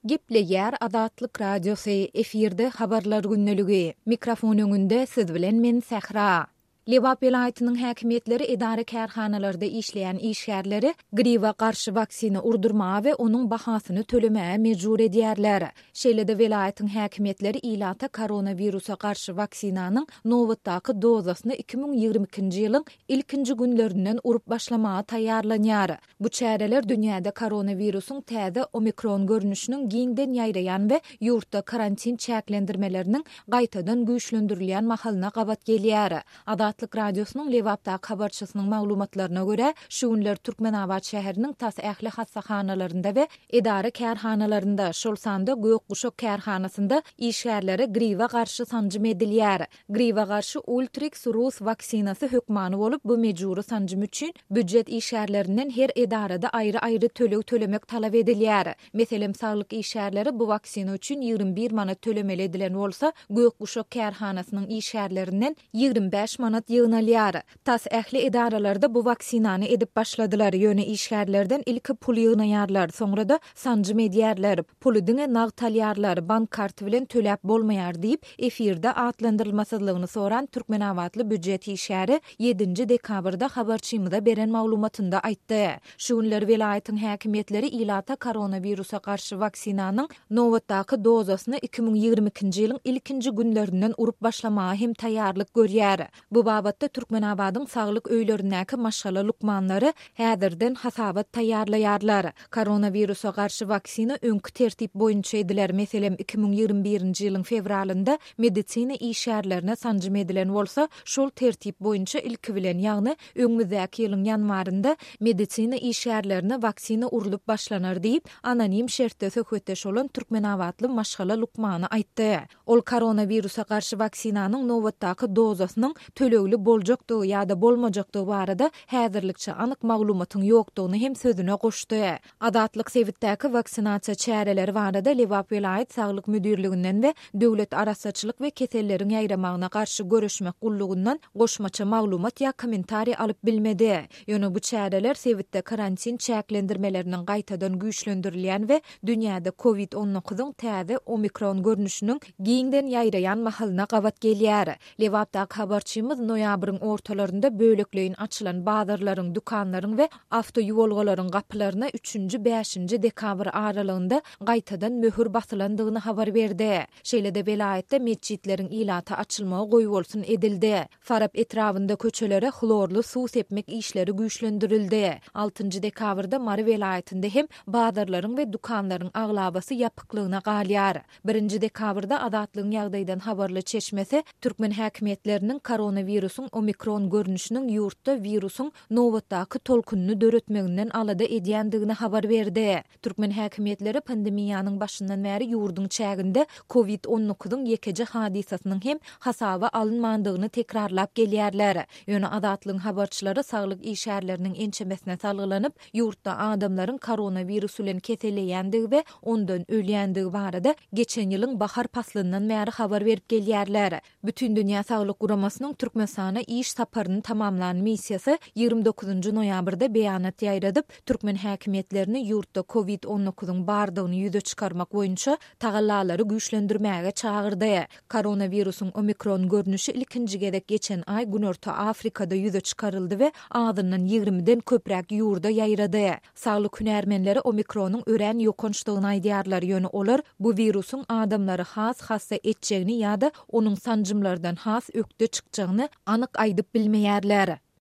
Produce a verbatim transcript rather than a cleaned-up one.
Gepleýär Azatlyk Radiosy, efirde Habarlar gündeligi. Mikrofon öňünde siz bilen men Sähra. Lebap welaýatynyň häkimiýetleri edara-kärhanalarda işleýän işgärleri gribe garşy waksina urdurmaga we onuň bahasyny tölemäge mejbur edýärler. Şeýle-de welaýatyň häkimiýetleri ilata koronawirusa garşy waksinanyň nobatdaky dozasyny iki müň ýigrimi ikinji ýylyň ilkinji günlerinden urup başlamaga taýýarlanýar. Bu çäreler dünýäde koronawirusyň täze omikron görnüşiniň giňden ýaýraýan we ýurtda karantin çäklendirmeleriniň gaýtadan güýçlendirilýän mahalyna gabat gelýär. Azatlyk Radiosynyň Lebapdaky habarçysynyň maglumatlaryna görä, şu günler Türkmenabat şäheriniň tas ähli hassahanalarynda we edara-kärhanalarynda, şol sanda Gök guşak kärhanasynda işgärlere gribe garşy sanjym edilýär. Gribe garşy Ultrix rus waksinasy hökmany bolup, bu mejbury sanjym üçin býujet işgärlerinden her edarada aýry-aýry töleg tölemek talap edilýär. Meselem, saglyk işgärleri bu waksina üçin ýigrimi bir manat tölemeli edilen bolsa, Gök guşak kärhanasynyň işgärlerinden ýigrimi bäş manat ýygnalýar. Tas ähli edaralarda bu waksinany edip başladylar, ýöne işgärlerden ilki pul ýygnaýarlar, soňra-da sanjym edýärler. Puly diňe nagt alýarlar, bank karty bilen töläp bolmaýar diýip, efirde atlandyrylmasyzlygyny soran türkmenabatly býujet işgäri ýedinji dekabrda habarçymyza beren maglumatynda aýtdy. Şu günler welaýatyň häkimiýetleri ilata koronawirusa garşy waksinanyň nobatdaky dozasyny iki müň ýigrimi ikinji ýylyň ilkinji günlerinden urup başlamaga hem taýýarlyk görýär. Bu babatda Türkmenabadyň saglyk öýlerindäki maşgala lukmanlary häzirden hasabat taýýarlaýarlar. Koronawirusa garşy waksina öňki tertip boýunça ediler. Meselem, iki müň ýigrimi birinji ýylyň fewralynda medisina işgärlerine sanjym edilen bolsa, şol tertip boýunça ilki bilen, ýagny öňümizdäki ýylyň ýanwarynda medisina işgärlerine waksina urlup başlanar diýip, anonim şertde söhbetdeş bolan türkmenabatly maşgala lukmany aýtdy. Ol koronawirusa garşy waksinanyň nobatdaky dozasynyň tölegli boljakdygy ýa-da bolmajakdygy barada häzirlikçe anyk maglumatyň ýokdugyny hem sözüne goşdy. Azatlyk sebitdäki waksinasiýa çäreleri barada Lebap welaýat saglyk müdirliginden we Döwlet arassaçylyk we keselleriň ýaýramagyna garşy göreşmek gullugyndan goşmaça maglumat ýa kommentariý alyp bilmedi. Ýöne bu çäreler sebitde karantin çäklendirmeleriniň gaýtadan güýçlendirilýän we dünýäde kovid on dokuzyň täze omikron görnüşiniň giňden ýaýraýan mahalyna gabat gelýär. Lebapdaky habarçymyz noýabryň ortalarynda bölekleýin açylan bazarlaryň, dükanlaryň we awtoýuwalgalaryň gapylaryna üçünji, bäşinji dekabr aralygynda gaýtadan möhür basylandygyny habar berdi. Şeýle-de welaýatda metjitleriň ilata açylmagy goýbolsun edildi. Farap etrabynda köçelere hlorly suw sepmek işleri güýçlendirildi. Altynjy dekabrda Mary welaýatynda hem bazarlaryň we dükanlaryň aglabasy ýapyklygyna galýar. Birinji dekabrda Azatlygyň ýagdaýdan habarly çeşmesi türkmen häkimiýetleriniň koronawirusyň omikron görnüşiniň ýurtda wirusyň nobatdaky tolkunyny döretmeginden alada edýändigini habar berdi. Türkmen häkimiýetleri pandemiýanyň başyndan bäri ýurduň çäginde kovid on dokuzyň ýekeje hadysasynyň hem hasaba alynmandygyny tekrarlap gelýärler. Ýöne Azatlygyň habarçylary saglyk işgärleriniň ençemesine salgylanyp, ýurtda adamlaryň koronawirus bilen keselleýändigi we ondan ölýändigi barada geçen ýylyň bahar paslyndan bäri habar berip gelýärler. Bütindünýä Saglyk Guramasynyň Türkmenistana iş saparyny tamamlan missiýasy ýigrimi dokuzynjy noýabrda beýanat ýaýradyp, türkmen häkimiýetlerini ýurtda kovid on dokuzyň bardygyny ýüze çykarmak boýunça tagallalary güýçlendirmäge çagyrdy. Koronawirusyň omikron görnüşi ilkinji gezek geçen aý Günorta Afrikada ýüze çykaryldy we azyndan ýigrimiden köpräk ýurda ýaýrady. Saglyk hünärmenleri omikronyň örän ýokançdygyny aýdýarlar, ýöne olar bu wirusyň adamlary has hassa etjegini ýa-da onuň sanjymlardan has ökde çykjagyny anyk aýdyp bilmeýärler.